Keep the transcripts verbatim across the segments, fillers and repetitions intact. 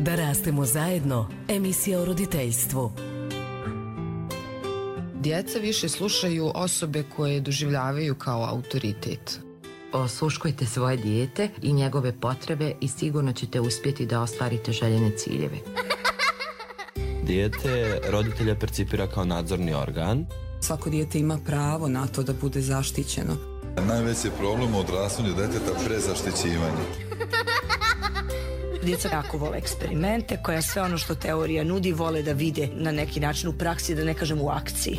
Da rastemo zajedno, emisija o roditeljstvu. Djeca više slušaju osobe koje doživljavaju kao autoritet. Osluškujte svoje dijete i njegove potrebe i sigurno ćete uspjeti da ostvarite željene ciljeve. Dijete roditelja percipira kao nadzorni organ. Svako dijete ima pravo na to da bude zaštićeno. Najveći problem u odrastanju deteta prezaštićivanje. Djeca jako vole eksperimente, koja sve ono što teorija nudi vole da vide na neki način u praksi, da ne kažem u akciji.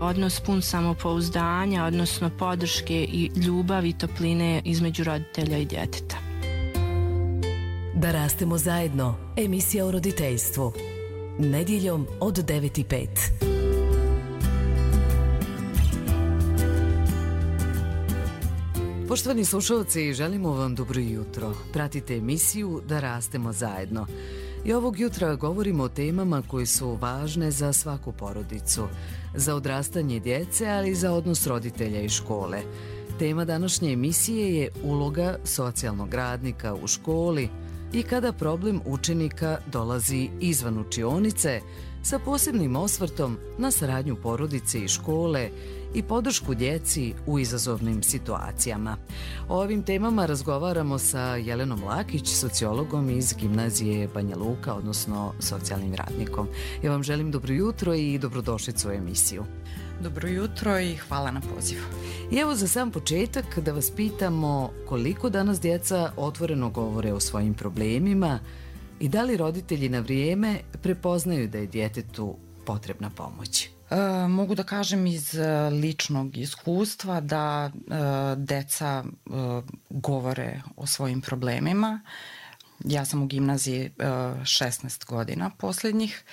Odnos pun samopouzdanja, odnosno podrške i ljubavi i topline između roditelja i djeteta. Da rastemo zajedno, emisija o roditeljstvu. Nedjeljom od devet i pet. Poštovani slušalci, želimo vam dobro jutro. Pratite emisiju Da rastemo zajedno. I ovog jutra govorimo o temama koje su važne za svaku porodicu, za odrastanje djece, ali i za odnos roditelja i škole. Tema današnje emisije je uloga socijalnog radnika u školi i kada problem učenika dolazi izvan učionice, sa posebnim osvrtom na saradnju porodice i škole i podršku djeci u izazovnim situacijama. O ovim temama razgovaramo sa Jelenom Lakić, sociologom iz Gimnazije Banja Luka, odnosno socijalnim radnikom. Ja vam želim dobro jutro i dobrodošlicu u emisiju. Dobro jutro i hvala na pozivu. I evo za sam početak da vas pitamo koliko danas djeca otvoreno govore o svojim problemima i da li roditelji na vrijeme prepoznaju da je djetetu potrebna pomoć? E, mogu da kažem iz ličnog iskustva da e, deca e, govore o svojim problemima. Ja sam u gimnaziji e, šesnaest godina posljednjih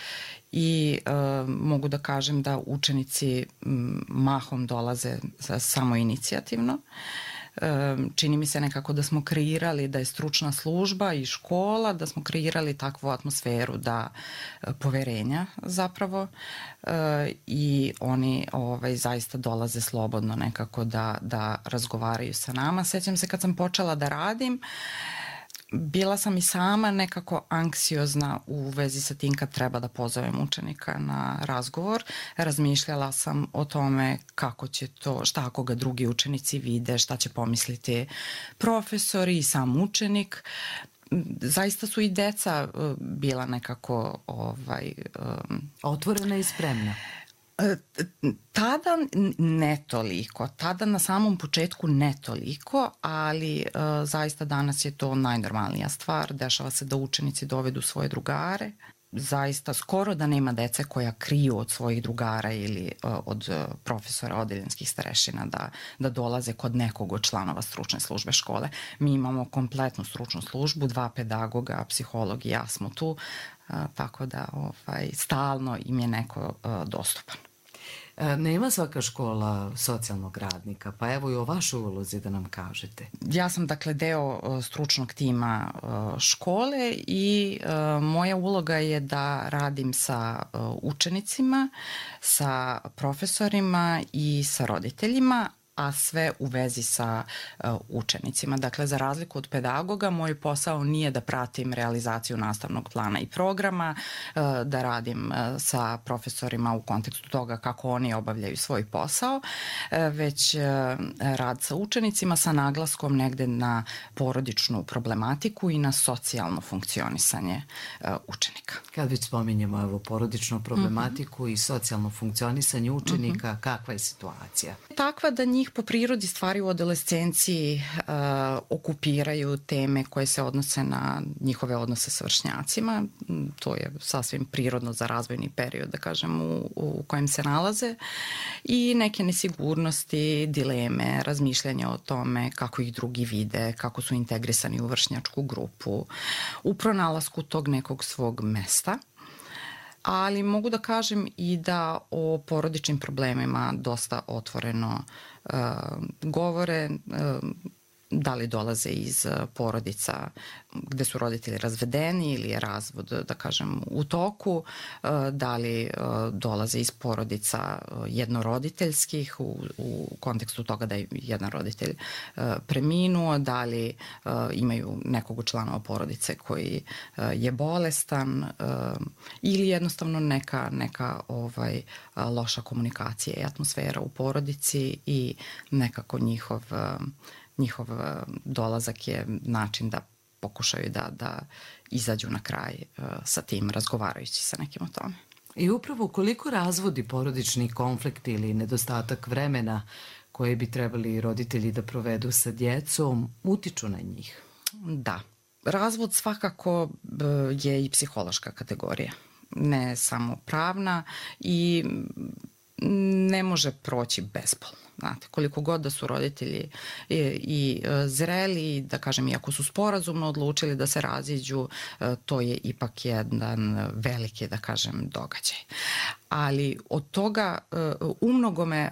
i e, mogu da kažem da učenici m, mahom dolaze samoinicijativno. Čini mi se nekako da smo kreirali da je stručna služba i škola, da smo kreirali takvu atmosferu da poverenja zapravo i oni ovaj, zaista dolaze slobodno nekako da, da razgovaraju sa nama. Sjećam se kad sam počela da radim, bila sam i sama nekako anksiozna u vezi sa tim kad treba da pozovem učenika na razgovor. Razmišljala sam o tome kako će to, šta ako ga drugi učenici vide, šta će pomisliti profesori i sam učenik. Zaista su i deca bila nekako ovaj, um, otvorena i spremna. Tada ne toliko, tada na samom početku ne toliko, ali uh, zaista danas je to najnormalnija stvar. Dešava se da učenici dovedu svoje drugare. Zaista skoro da nema dece koja kriju od svojih drugara ili uh, od uh, profesora odeljenskih starešina da, da dolaze kod nekog od članova stručne službe škole. Mi imamo kompletnu stručnu službu, dva pedagoga, psiholog i ja smo tu, uh, tako da ovaj, stalno im je neko uh, dostupan. Nema svaka škola socijalnog radnika, pa evo i o vašoj ulozi da nam kažete. Ja sam dakle deo stručnog tima škole i moja uloga je da radim sa učenicima, sa profesorima i sa roditeljima, a sve u vezi sa uh, učenicima. Dakle, za razliku od pedagoga, moj posao nije da pratim realizaciju nastavnog plana i programa, uh, da radim uh, sa profesorima u kontekstu toga kako oni obavljaju svoj posao, uh, već uh, rad sa učenicima sa naglaskom negde na porodičnu problematiku i na socijalno funkcionisanje uh, učenika. Kad već spominjemo evo, porodičnu problematiku mm-hmm. i socijalno funkcionisanje učenika, mm-hmm. kakva je situacija? Takva da njih po prirodi stvari u adolescenciji uh, okupiraju teme koje se odnose na njihove odnose sa vršnjacima. To je sasvim prirodno za razvojni period, da kažem, u, u kojem se nalaze. I neke nesigurnosti, dileme, razmišljanja o tome kako ih drugi vide, kako su integrisani u vršnjačku grupu, u pronalasku tog nekog svog mesta. Ali mogu da kažem i da o porodičnim problemima dosta otvoreno uh, govore. Uh, da li dolaze iz porodica gde su roditelji razvedeni ili je razvod, da kažem, u toku, da li dolaze iz porodica jednoroditeljskih u, u kontekstu toga da je jedan roditelj preminuo, da li imaju nekog u članova porodice koji je bolestan ili jednostavno neka, neka ovaj, loša komunikacija i atmosfera u porodici i nekako njihov njihov dolazak je način da pokušaju da, da izađu na kraj uh, sa tim, razgovarajući sa nekim o tome. I upravo koliko razvodi porodični konflikt ili nedostatak vremena koje bi trebali roditelji da provedu sa djecom utiču na njih? Da. Razvod svakako uh, je i psihološka kategorija, ne samo pravna i ne može proći bezbolno. Znate, koliko god da su roditelji i, i zreli, da kažem, iako su sporazumno odlučili da se raziđu, to je ipak jedan veliki, da kažem, događaj. Ali od toga umnogome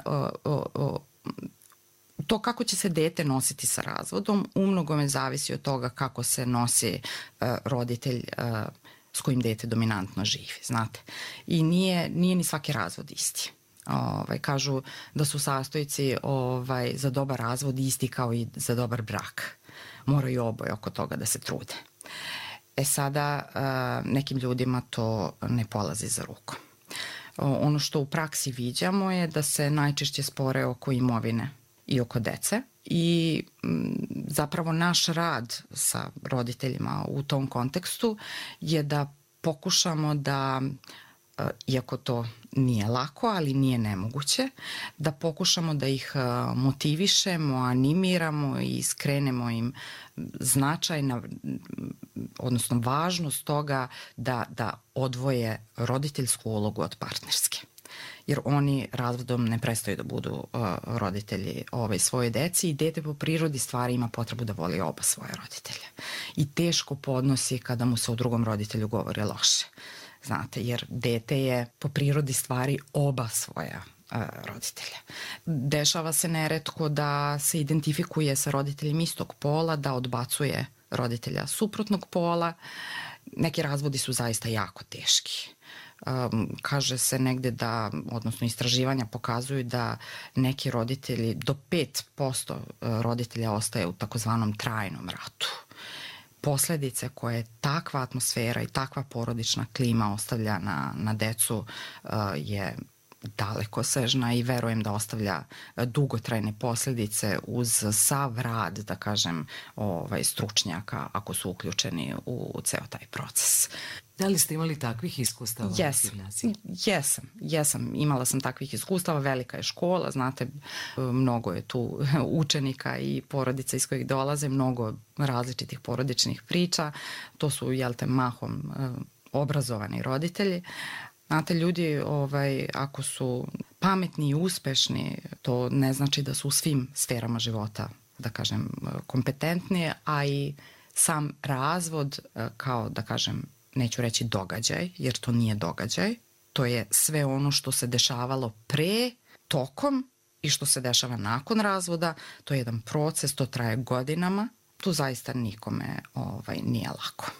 to kako će se dete nositi sa razvodom umnogome zavisi od toga kako se nosi roditelj s kojim dete dominantno živi, znate. I nije, nije ni svaki razvod isti. Ovaj, kažu da su sastojci ovaj, za dobar razvod isti kao i za dobar brak. Moraju oboje oko toga da se trude. E sada, nekim ljudima to ne polazi za rukom. Ono što u praksi viđamo je da se najčešće spore oko imovine i oko dece i zapravo naš rad sa roditeljima u tom kontekstu je da pokušamo da, iako to nije lako, ali nije nemoguće, da pokušamo da ih motivišemo, animiramo i skrenemo im značaj, na, odnosno važnost toga da, da odvoje roditeljsku ulogu od partnerske. Jer oni razvodom ne prestaju da budu uh, roditelji ove svoje deci i dete po prirodi stvari ima potrebu da voli oba svoje roditelja. I teško podnosi kada mu se o drugom roditelju govori loše. Znate, jer dete je po prirodi stvari oba svoja uh, roditelja. Dešava se neretko da se identifikuje sa roditeljem istog pola, da odbacuje roditelja suprotnog pola. Neki razvodi su zaista jako teški. Um, kaže se negde da, odnosno istraživanja pokazuju da neki roditelji, do pet posto roditelja ostaje u takozvanom trajnom ratu. Posledice koje takva atmosfera i takva porodična klima ostavlja na, na decu uh, je daleko sežna i verujem da ostavlja dugotrajne posledice uz sav rad, da kažem, ovaj, stručnjaka ako su uključeni u, u ceo taj proces. Da li ste imali takvih iskustava? Yes. Jesam, jesam. Imala sam takvih iskustava, velika je škola, znate, mnogo je tu učenika i porodica iz kojih dolaze, mnogo različitih porodičnih priča, to su, jel te, mahom obrazovani roditelji. Znate, ljudi, ovaj, ako su pametni i uspešni, to ne znači da su u svim sferama života, da kažem, kompetentni, a i sam razvod kao, da kažem, neću reći događaj, jer to nije događaj, to je sve ono što se dešavalo pre, tokom i što se dešava nakon razvoda, to je jedan proces, to traje godinama, tu zaista nikome ovaj, nije lako.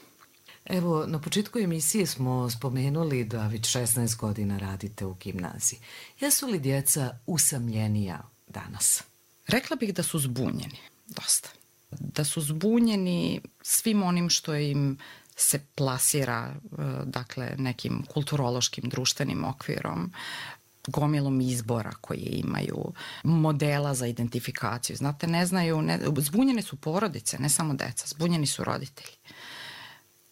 Evo, na početku emisije smo spomenuli da već šesnaest godina radite u gimnaziji. Jesu li djeca usamljenija danas? Rekla bih da su zbunjeni, dosta. Da su zbunjeni svim onim što im se plasira, dakle, nekim kulturološkim društvenim okvirom, gomilom izbora koje imaju, modela za identifikaciju. Znate, ne znaju, ne, zbunjene su porodice, ne samo deca, zbunjeni su roditelji.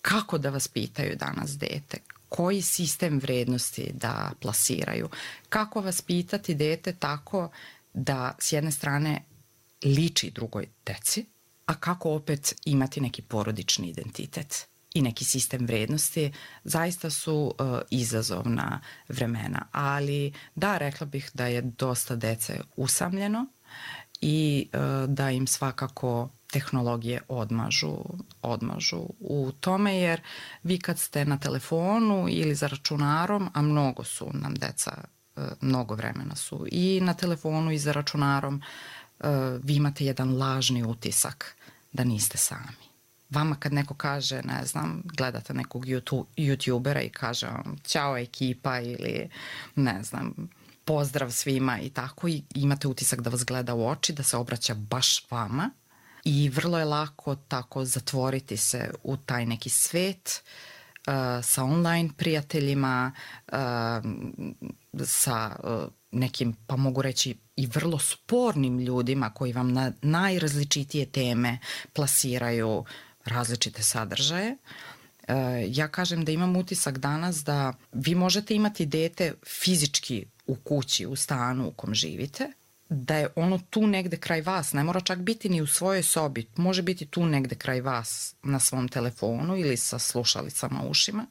Kako da vas pitaju danas dete? Koji sistem vrednosti da plasiraju? Kako vas pitati dete tako da s jedne strane liči drugoj deci, a kako opet imati neki porodični identitet i neki sistem vrednosti, zaista su uh, izazovna vremena. Ali da, rekla bih da je dosta dece usamljeno i uh, da im svakako tehnologije odmažu, odmažu u tome, jer vi kad ste na telefonu ili za računarom, a mnogo su nam deca, mnogo vremena su i na telefonu i za računarom, vi imate jedan lažni utisak da niste sami. Vama kad neko kaže, ne znam, gledate nekog youtubera i kaže vam ćao ekipa ili ne znam, pozdrav svima i tako, i imate utisak da vas gleda u oči, da se obraća baš vama i vrlo je lako tako zatvoriti se u taj neki svet uh, sa online prijateljima, uh, sa uh, nekim, pa mogu reći, i vrlo spornim ljudima koji vam na najrazličitije teme plasiraju različite sadržaje. Uh, ja kažem da imam utisak danas da vi možete imati dete fizički u kući, u stanu u kom živite, da je ono tu negde kraj vas, ne mora čak biti ni u svojoj sobi, može biti tu negde kraj vas na svom telefonu ili sa slušalicama u ušima,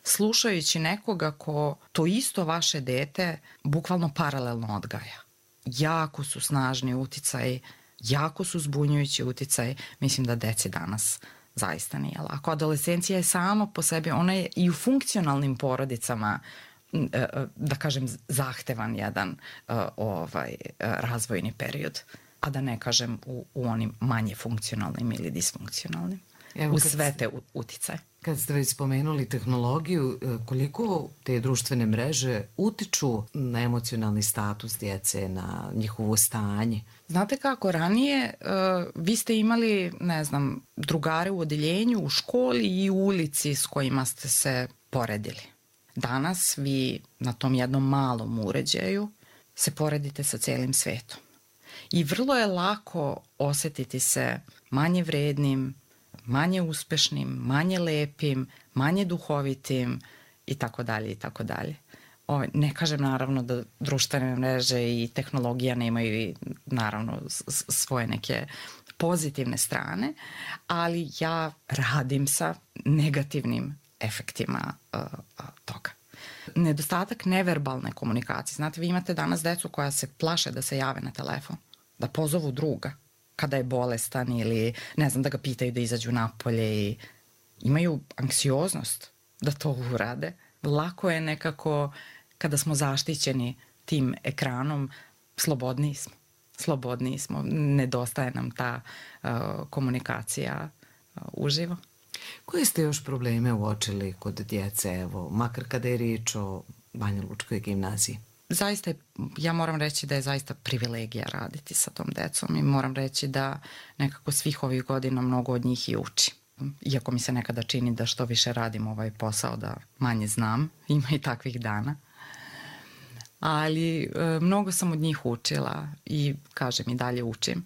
slušajući nekoga ko to isto vaše dete bukvalno paralelno odgaja. Jako su snažni uticaji, jako su zbunjujući uticaji, mislim da deci danas zaista nije lako. Adolescencija je sama po sebi, ona je i u funkcionalnim porodicama, da kažem, zahtevan jedan uh, ovaj, razvojni period, a da ne kažem u, u onim manje funkcionalnim ili disfunkcionalnim. Evo, u sve te uticaje. Kad ste već spomenuli tehnologiju, koliko te društvene mreže utiču na emocionalni status djece, na njihovo stanje? Znate kako, ranije uh, vi ste imali, ne znam, drugare u odeljenju, u školi i u ulici s kojima ste se poredili. Danas vi na tom jednom malom uređaju se poredite sa celim svetom. I vrlo je lako osetiti se manje vrednim, manje uspešnim, manje lepim, manje duhovitim i tako dalje i tako dalje. O, ne kažem naravno da društvene mreže i tehnologija nemaju i naravno svoje neke pozitivne strane, ali ja radim sa negativnim efektima uh, toga. Nedostatak neverbalne komunikacije. Znate, vi imate danas decu koja se plaše da se jave na telefon, da pozovu druga kada je bolestan ili ne znam, da ga pitaju da izađu napolje i imaju anksioznost da to urade. Lako je nekako kada smo zaštićeni tim ekranom, slobodniji smo. Slobodniji smo. Nedostaje nam ta uh, komunikacija uh, uživo. Koje ste još probleme uočili kod djece, evo, makar kada je riječ o Banja Lučkoj gimnaziji? Zaista je, ja moram reći da je zaista privilegija raditi sa tom decom i moram reći da nekako svih ovih godina mnogo od njih i uči. Iako mi se nekada čini da što više radim ovaj posao, da manje znam, ima i takvih dana. Ali e, mnogo sam od njih učila i kažem i dalje učim.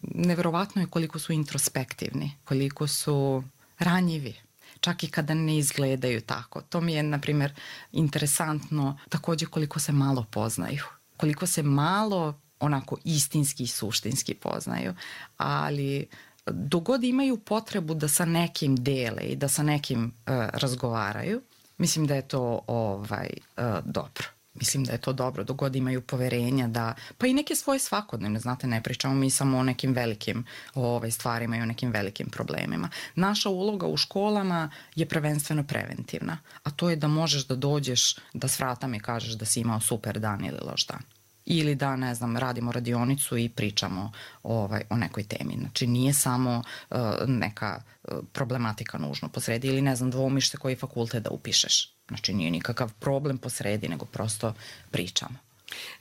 Neverovatno je koliko su introspektivni, koliko su ranjivi, čak i kada ne izgledaju tako. To mi je, na primjer, interesantno takođe koliko se malo poznaju, koliko se malo onako istinski i suštinski poznaju, ali dogod imaju potrebu da sa nekim dele i da sa nekim uh, razgovaraju, mislim da je to ovaj, uh, dobro. Mislim da je to dobro, dogod imaju poverenja da, pa i neke svoje svakodnevne, znate, ne pričamo mi samo o nekim velikim ovaj, stvarima i o nekim velikim problemima. Naša uloga u školama je prvenstveno preventivna, a to je da možeš da dođeš, da s vrata mi kažeš da si imao super dan ili loš dan. Ili da, ne znam, radimo radionicu i pričamo ovaj, o nekoj temi. Znači, nije samo uh, neka uh, problematika nužno posredi ili, ne znam, dvoumiš se koji fakultet da upišeš. Znači, nije nikakav problem posredi, nego prosto pričamo.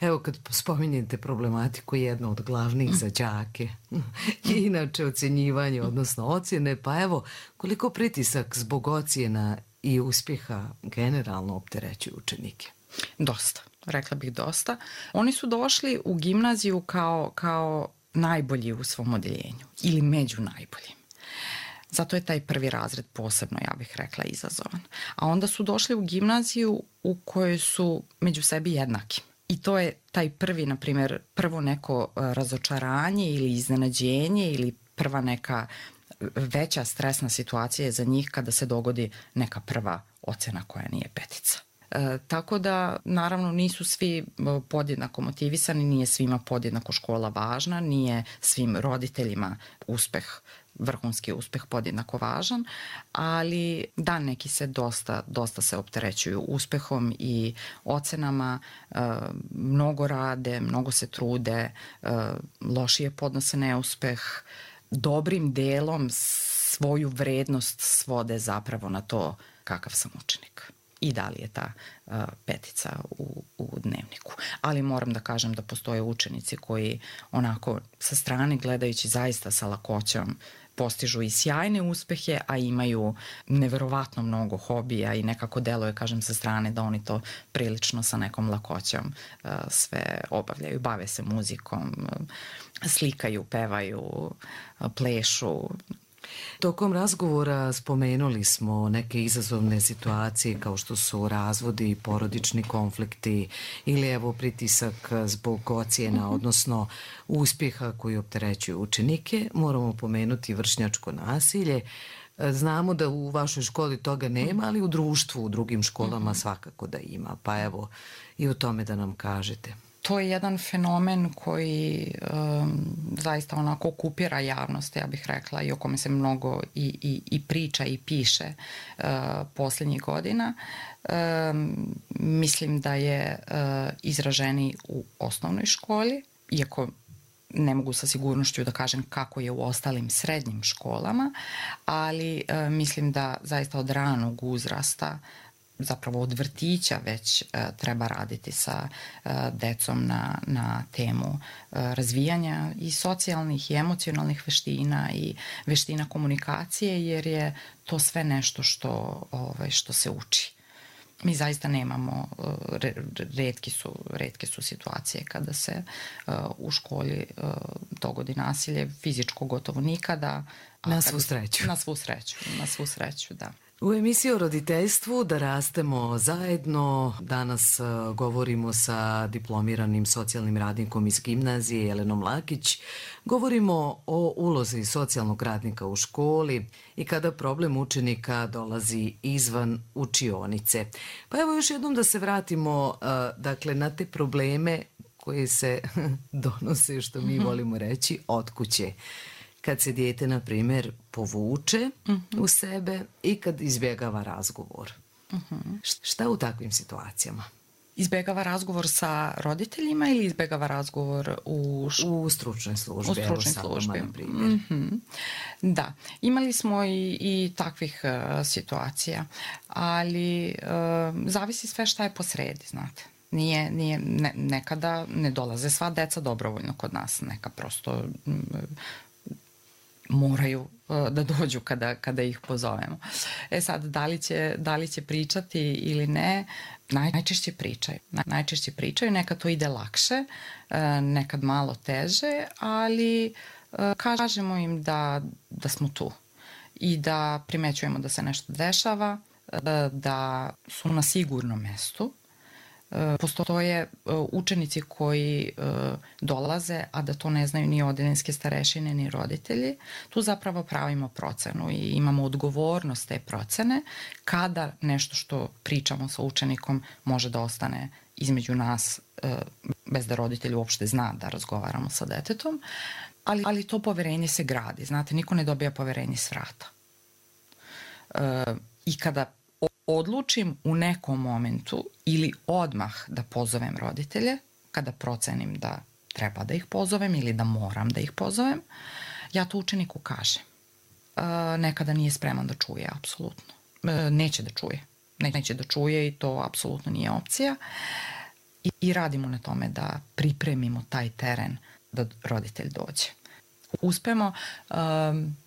Evo, kad spominjete problematiku, jedno od glavnih za đake je inače ocenjivanje, odnosno ocjene, pa evo, koliko pritisak zbog ocjena i uspjeha generalno opterećuju učenike? Dosta. Rekla bih dosta. Oni su došli u gimnaziju kao, kao najbolji u svom odeljenju ili među najboljim. Zato je taj prvi razred posebno, ja bih rekla, izazovan. A onda su došli u gimnaziju u kojoj su među sebi jednaki. I to je taj prvi, na primjer, prvo neko razočaranje ili iznenađenje ili prva neka veća stresna situacija za njih kada se dogodi neka prva ocena koja nije petica. E, tako da, naravno, nisu svi podjednako motivisani, nije svima podjednako škola važna, nije svim roditeljima uspeh, vrhunski uspeh podjednako važan, ali da, neki se dosta, dosta se opterećuju uspehom i ocenama, e, mnogo rade, mnogo se trude, e, lošije podnose neuspeh, dobrim delom svoju vrednost svode zapravo na to kakav sam učenik i da li je ta uh, petica u, u dnevniku. Ali moram da kažem da postoje učenici koji onako sa strane gledajući zaista sa lakoćom postižu i sjajne uspehe, a imaju neverovatno mnogo hobija i nekako deluje, kažem, sa strane da oni to prilično sa nekom lakoćom uh, sve obavljaju. Bave se muzikom, uh, slikaju, pevaju, uh, plešu. Tokom razgovora spomenuli smo neke izazovne situacije kao što su razvodi, porodični konflikti ili evo pritisak zbog ocjena, odnosno uspjeha koji opterećuju učenike. Moramo pomenuti vršnjačko nasilje. Znamo da u vašoj školi toga nema, ali u društvu, u drugim školama svakako da ima. Pa evo i o tome da nam kažete. To je jedan fenomen koji um, zaista onako okupira javnost, ja bih rekla, i o kome se mnogo i, i, i priča i piše uh, posljednjih godina. Um, mislim da je uh, izraženi u osnovnoj školi, iako ne mogu sa sigurnošću da kažem kako je u ostalim srednjim školama, ali uh, mislim da zaista od ranog uzrasta, zapravo od vrtića već uh, treba raditi sa uh, decom na, na temu uh, razvijanja i socijalnih i emocionalnih veština i veština komunikacije, jer je to sve nešto što, ovaj, što se uči. Mi zaista nemamo, uh, retki su, retke su situacije kada se uh, u školi uh, dogodi nasilje, fizičko gotovo nikada. Na svu sreću. Na svu sreću, na svu sreću, da. U emisiji o roditeljstvu Da rastemo zajedno danas uh, govorimo sa diplomiranim socijalnim radnikom iz gimnazije Jelenom Lakić. Govorimo o ulozi socijalnog radnika u školi i kada problem učenika dolazi izvan učionice. Pa evo još jednom da se vratimo uh, dakle, na te probleme koje se donose, što mi volimo reći, od kuće. Kad se dijete, na primjer, povuče uh-huh. u sebe i kad izbjegava razgovor. Uh-huh. Šta u takvim situacijama? Izbjegava razgovor sa roditeljima ili izbjegava razgovor u, š... u stručnoj službi? U stručnoj službi. Na primjer. Uh-huh. Da, imali smo i, i takvih uh, situacija, ali uh, zavisi sve šta je posredi, znate. Nije, nije, ne, nekada ne dolaze sva deca dobrovoljno kod nas, neka prosto um, moraju uh, da dođu kada, kada ih pozovemo. E sad, da li će, da li će pričati ili ne, naj, najčešće pričaju. Najčešće pričaju, nekad to ide lakše, uh, nekad malo teže, ali uh, kažemo im da, da smo tu i da primećujemo da se nešto dešava, uh, da su na sigurnom mestu. Postoje učenici koji dolaze, a da to ne znaju ni odeljinske starešine, ni roditelji. Tu zapravo pravimo procenu i imamo odgovornost te procene kada nešto što pričamo sa učenikom može da ostane između nas bez da roditelj uopšte zna da razgovaramo sa detetom, ali, ali to poverenje se gradi. Znate, niko ne dobija poverenje s vrata. I kada odlučim u nekom momentu ili odmah da pozovem roditelje, kada procenim da treba da ih pozovem ili da moram da ih pozovem, ja to učeniku kažem. E, nekada nije spreman da čuje, apsolutno. E, neće da čuje. Neće da čuje i to apsolutno nije opcija. I, i radimo na tome da pripremimo taj teren da roditelj dođe. Uspemo... Um,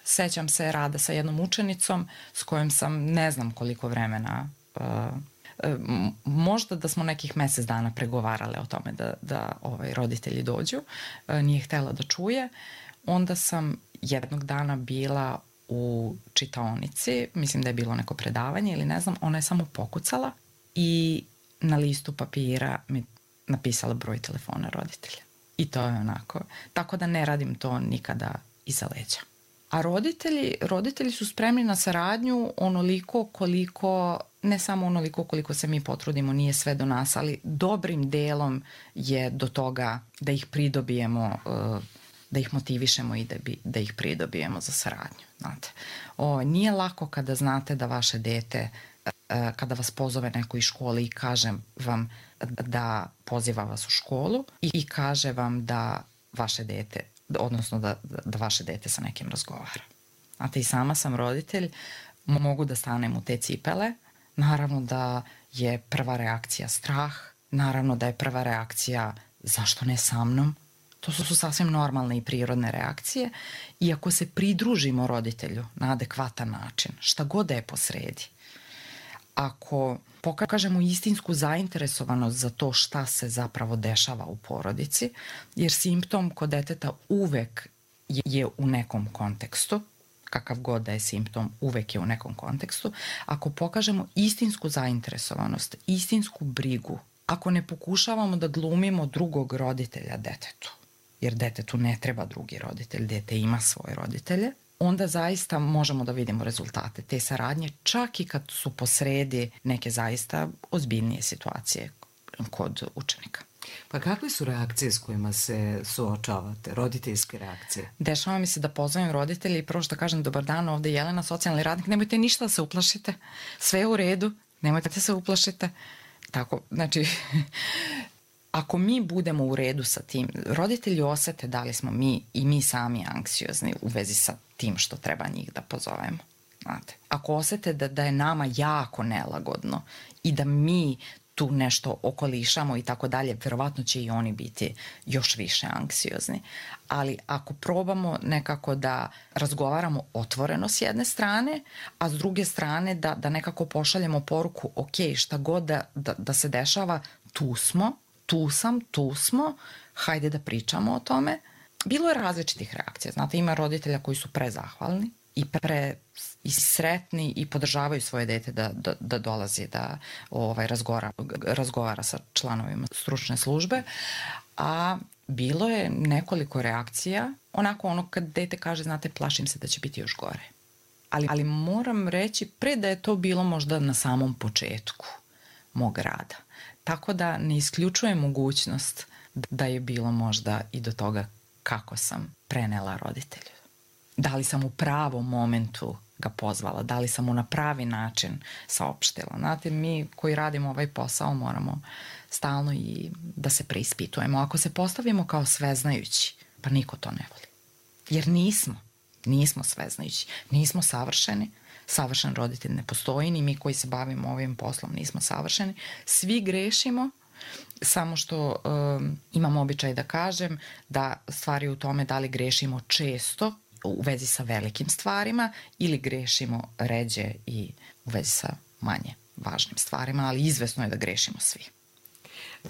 Sećam se rada sa jednom učenicom s kojom sam ne znam koliko vremena, uh, uh, možda da smo nekih mesec dana pregovarale o tome da, da ovaj, roditelji dođu. Uh, nije htela da čuje. Onda sam jednog dana bila u čitaonici, mislim da je bilo neko predavanje ili ne znam, ona je samo pokucala i na listu papira mi napisala broj telefona roditelja. I to je onako. Tako da ne radim to nikada iza leđa. A roditelji, roditelji su spremni na saradnju onoliko koliko ne samo onoliko koliko se mi potrudimo, nije sve do nas, ali dobrim delom je do toga da ih pridobijemo, da ih motivišemo i da, bi, da ih pridobijemo za saradnju. Znate. O, nije lako kada znate da vaše dete, kada vas pozove neko iz škole i kaže vam da poziva vas u školu i, i kaže vam da vaše dete, odnosno da, da vaše dete sa nekim razgovara. Znate, i sama sam roditelj, mogu da stanem u te cipele. Naravno da je prva reakcija strah, naravno da je prva reakcija zašto ne sa mnom. To su, su sasvim normalne i prirodne reakcije i ako se pridružimo roditelju na adekvatan način, šta god da je posredi, ako pokažemo istinsku zainteresovanost za to šta se zapravo dešava u porodici, jer simptom kod deteta uvek je u nekom kontekstu, kakav god da je simptom, uvek je u nekom kontekstu, ako pokažemo istinsku zainteresovanost, istinsku brigu, ako ne pokušavamo da glumimo drugog roditelja detetu, jer detetu ne treba drugi roditelj, dete ima svoje roditelje, onda zaista možemo da vidimo rezultate te saradnje, čak i kad su posredi neke zaista ozbiljnije situacije kod učenika. Pa kakve su reakcije s kojima se suočavate, roditeljske reakcije? Dešava mi se da pozovem roditelji i prvo što kažem dobar dan, ovde je Jelena, socijalni radnik, nemojte ništa da se uplašite, sve je u redu, nemojte da se uplašite. Tako, znači, ako mi budemo u redu sa tim, roditelji osete da li smo mi i mi sami anksiozni u vezi sa tim što treba njih da pozovemo. Znate, ako osete da, da je nama jako nelagodno i da mi tu nešto okolišamo i tako dalje, verovatno će i oni biti još više anksiozni. Ali ako probamo nekako da razgovaramo otvoreno s jedne strane, a s druge strane da, da nekako pošaljemo poruku, ok, šta god da, da, da se dešava, tu smo, tu sam, tu smo, hajde da pričamo o tome. Bilo je različitih reakcija. Znate, ima roditelja koji su prezahvalni i pre i sretni i podržavaju svoje dete da, da, da dolazi da ovaj, razgovara, razgovara sa članovima stručne službe, a bilo je nekoliko reakcija, onako ono kad dete kaže, znate, plašim se da će biti još gore. Ali, ali moram reći, pre da je to bilo možda na samom početku mog rada. Tako da ne isključujem mogućnost da je bilo možda i do toga kako sam prenela roditelju. Da li sam u pravom momentu ga pozvala, da li sam mu na pravi način saopštila. Znate, mi koji radimo ovaj posao moramo stalno i da se preispitujemo. Ako se postavimo kao sveznajući, pa niko to ne voli. Jer nismo, nismo sveznajući, nismo savršeni, savršen roditelj ne postoji, ni mi koji se bavimo ovim poslom nismo savršeni. Svi grešimo, samo što um, imam običaj da kažem da stvari u tome da li grešimo često u vezi sa velikim stvarima ili grešimo ređe i u vezi sa manje važnim stvarima, ali izvesno je da grešimo svi.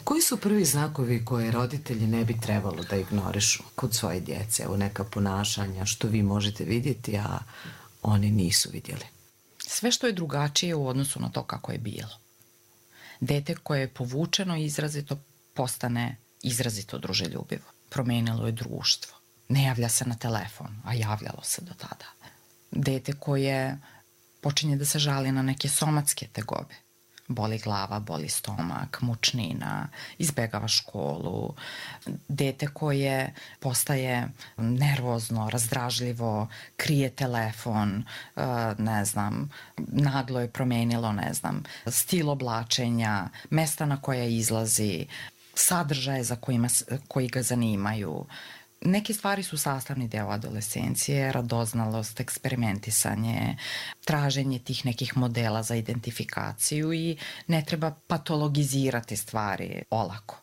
Koji su prvi znakovi koje roditelji ne bi trebalo da ignorišu kod svoje djece? Evo neka ponašanja što vi možete vidjeti, a oni nisu vidjeli. Sve što je drugačije u odnosu na to kako je bilo. Dete koje je povučeno izrazito postane izrazito druželjubivo. Promenilo je društvo. Ne javlja se na telefon, a javljalo se do tada. Dete koje počinje da se žali na neke somatske tegobe. Boli glava, boli stomak, mučnina, izbegava školu. Dete koje postaje nervozno, razdražljivo, krije telefon, ne znam, naglo je promenilo, ne znam, stil oblačenja, mesta na koja izlazi, sadržaje za kojima, koji ga zanimaju. Neke stvari su sastavni deo adolescencije, radoznalost, eksperimentisanje, traženje tih nekih modela za identifikaciju i ne treba patologizirati stvari olako.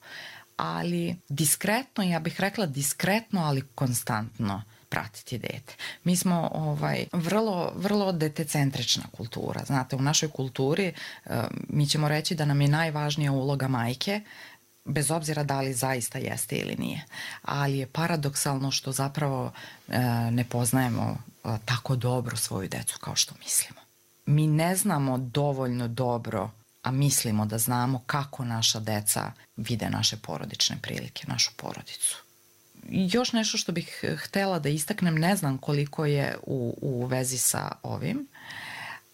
Ali diskretno, ja bih rekla diskretno, ali konstantno pratiti dete. Mi smo ovaj, vrlo, vrlo detecentrična kultura. Znate, u našoj kulturi mi ćemo reći da nam je najvažnija uloga majke, bez obzira da li zaista jeste ili nije. Ali je paradoksalno što zapravo e, ne poznajemo e, tako dobro svoju decu kao što mislimo. Mi ne znamo dovoljno dobro, a mislimo da znamo kako naša deca vide naše porodične prilike, našu porodicu. I još nešto što bih htela da istaknem, ne znam koliko je u, u vezi sa ovim,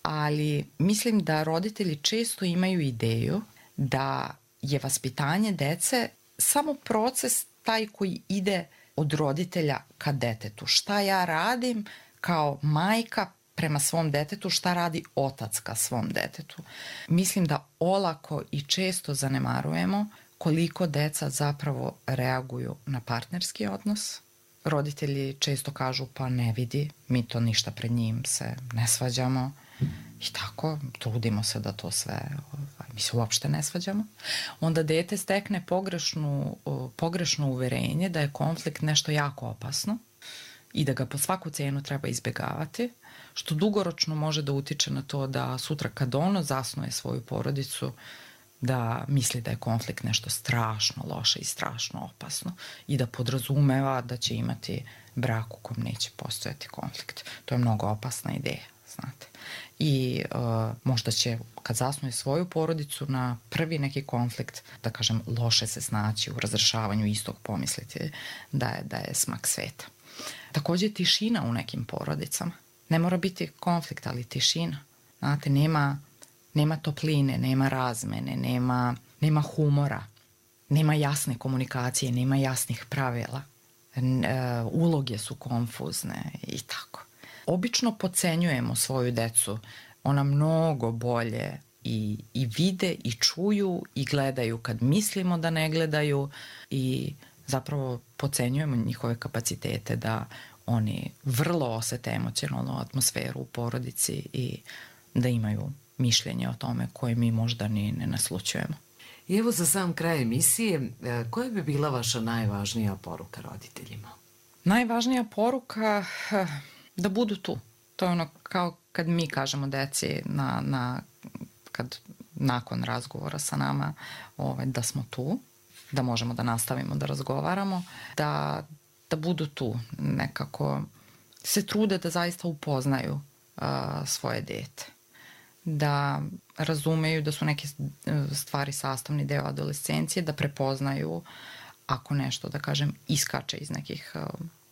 ali mislim da roditelji često imaju ideju da je vaspitanje dece samo proces taj koji ide od roditelja ka detetu. Šta ja radim kao majka prema svom detetu, šta radi otac ka svom detetu. Mislim da olako i često zanemarujemo koliko deca zapravo reaguju na partnerski odnos. Roditelji često kažu pa ne vidi, mi to ništa pred njim se ne svađamo i tako, trudimo se da to sve, mi se uopšte ne svađamo. Onda dete stekne pogrešnu, pogrešno uverenje da je konflikt nešto jako opasno i da ga po svaku cenu treba izbjegavati, što dugoročno može da utiče na to da sutra kad ono zasnuje svoju porodicu, da misli da je konflikt nešto strašno loše i strašno opasno i da podrazumeva da će imati brak u kom neće postojati konflikt. To je mnogo opasna ideja, znate. I uh, možda će, kad zasnuje svoju porodicu, na prvi neki konflikt, da kažem, loše se snaći u razrešavanju istog, pomisliti da je, da je smak sveta. Takođe, tišina u nekim porodicama. Ne mora biti konflikt, ali tišina. Znate, nema, nema topline, nema razmene, nema, nema humora, nema jasne komunikacije, nema jasnih pravila. N, e, uloge su konfuzne i tako. Obično podcenjujemo svoju decu. Ona mnogo bolje i, i vide i čuju i gledaju kad mislimo da ne gledaju i zapravo podcenjujemo njihove kapacitete da oni vrlo osete emocionalnu atmosferu u porodici i da imaju mišljenje o tome koje mi možda ni ne naslućujemo. I evo za sam kraj emisije, koja bi bila vaša najvažnija poruka roditeljima? Najvažnija poruka da budu tu. To je ono kao kad mi kažemo deci na, na, kad nakon razgovora sa nama ovaj, da smo tu, da možemo da nastavimo da razgovaramo, da, da budu tu, nekako se trude da zaista upoznaju uh, svoje dete, da razumeju da su neke stvari sastavni deo adolescencije, da prepoznaju ako nešto, da kažem, iskače iz nekih uh,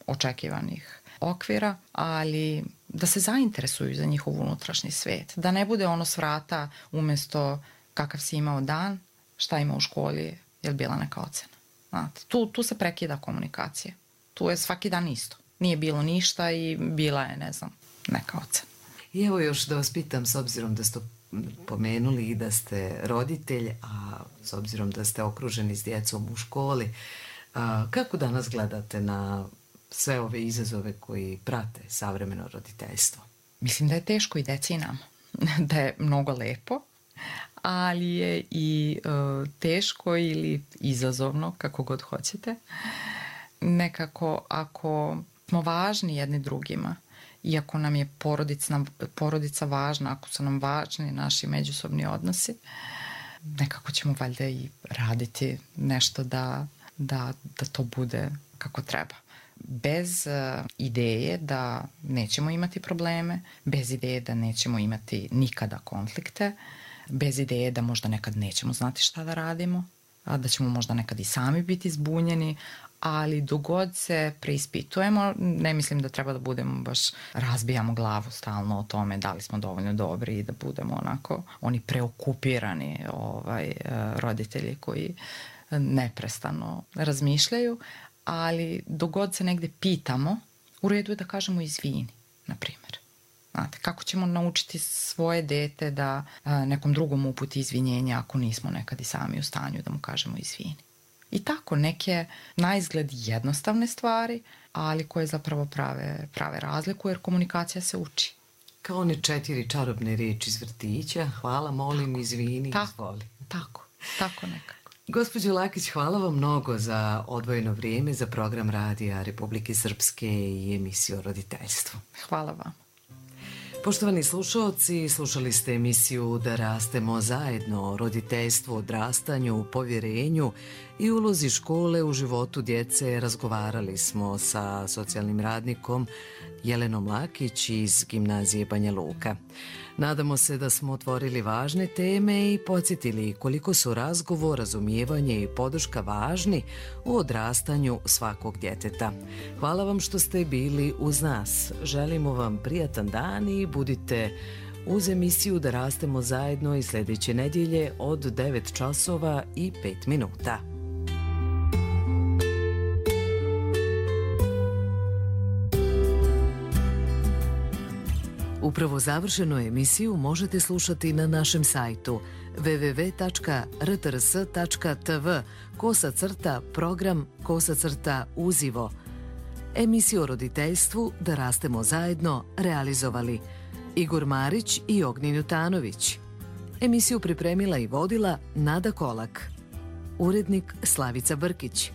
očekivanih okvira, ali da se zainteresuju za njihov unutrašnji svet, da ne bude ono s vrata umesto kakav si imao dan, šta ima u školi, je li bila neka ocena. Znate, tu, tu se prekida komunikacija. Tu je svaki dan isto. Nije bilo ništa i bila je, ne znam, neka ocena. I evo još da vas pitam, s obzirom da ste pomenuli i da ste roditelj, a s obzirom da ste okruženi s djecom u školi, a, kako danas gledate na sve ove izazove koji prate savremeno roditeljstvo? Mislim da je teško i deci i nama. Da je mnogo lepo, ali je i uh, teško ili izazovno, kako god hoćete. Nekako, ako smo važni jedni drugima, iako nam je porodica, porodica važna, ako su nam važni naši međusobni odnosi, nekako ćemo valjda i raditi nešto da, da, da to bude kako treba. Bez uh, ideje da nećemo imati probleme, bez ideje da nećemo imati nikada konflikte, bez ideje da možda nekad nećemo znati šta da radimo, da ćemo možda nekad i sami biti zbunjeni, ali dogod se preispitujemo, ne mislim da treba da budemo baš, razbijamo glavu stalno o tome da li smo dovoljno dobri i da budemo onako oni preokupirani ovaj, roditelji koji neprestano razmišljaju, ali dogod se negde pitamo, u redu je da kažemo izvini, na primjer. Znate, kako ćemo naučiti svoje dete da a, nekom drugom uputi izvinjenja ako nismo nekad i sami u stanju da mu kažemo izvini. I tako, neke na izgled jednostavne stvari, ali koje zapravo prave, prave razliku, jer komunikacija se uči. Kao one četiri čarobne riječi iz vrtića, hvala, molim, tako, izvini, tako, izvoli. Tako, tako nekako. Gospođo Lakić, hvala vam mnogo za odvojeno vrijeme za program Radija Republike Srpske i emisiju o roditeljstvu. Hvala vam. Poštovani slušalci, slušali ste emisiju Da rastemo zajedno, o roditeljstvu, odrastanju, povjerenju i ulozi škole u životu djece. Razgovarali smo sa socijalnim radnikom Jelenom Lakić iz Gimnazije Banja Luka. Nadamo se da smo otvorili važne teme i podsjetili koliko su razgovor, razumijevanje i podrška važni u odrastanju svakog djeteta. Hvala vam što ste bili uz nas. Želimo vam prijatan dan i budite uz emisiju Da rastemo zajedno i sljedeće nedjelje od devet časova i pet minuta. Upravo završenu emisiju možete slušati na našem sajtu w w w tačka r t r s tačka t v kosa crta program kosa crta uzivo. Emisiju o roditeljstvu Da rastemo zajedno realizovali Igor Marić i Ognjen Jutanović. Emisiju pripremila i vodila Nada Kolak. Urednik Slavica Brkić.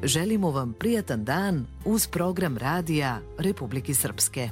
Želimo vam prijatan dan uz program radija Republike Srpske.